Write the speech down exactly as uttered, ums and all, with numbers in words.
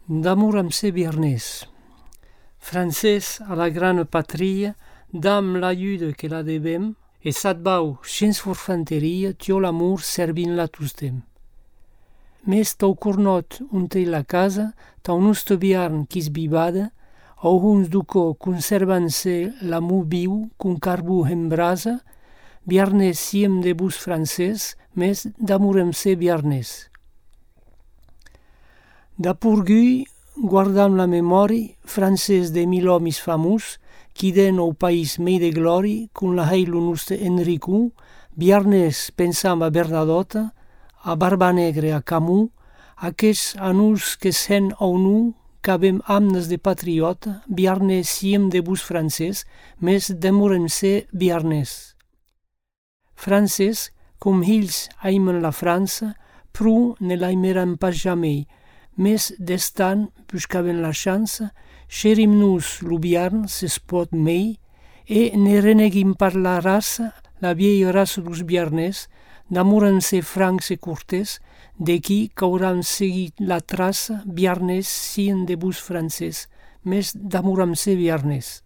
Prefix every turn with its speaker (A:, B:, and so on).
A: D'amor amb ser biarnès. Francès a la grana patria, dam l'ajuda que la devem, e s'adbau sense forfanteria, tio l'amor servint-la tostem. Mes tau cornot unte la casa, tau nusto biarn quis bibada, au huns duco conservan-se l'amor viu cun carbu en brasa, biarnès siem de bus francès, mes d'amor amb ser biarnès. Da purgui, guardam la memori, francès de mil homes famus, qui den au país mei de glori, cun la heilu nostre Enricu, biarnès pensam a Bernadota, a Barba Negre a Camus, aquests anus que sen au nu, qu'avem amnes de patriota, biarnès siem de bus francès, mes demorem ser biarnès. Francès, com hills aimen la França, pru ne l'aimeran pas jamai, mes d'estan, buscaven la chança, xerim-nos lo biarn, s'es pot mei, e ne reneguim par la raça, la vieille raça dos biarnès, d'amor-en-se francs e cortés, de qui qu'auran seguit la traça, biarnès sien de bus francès, mes d'amor-en-se biarnès.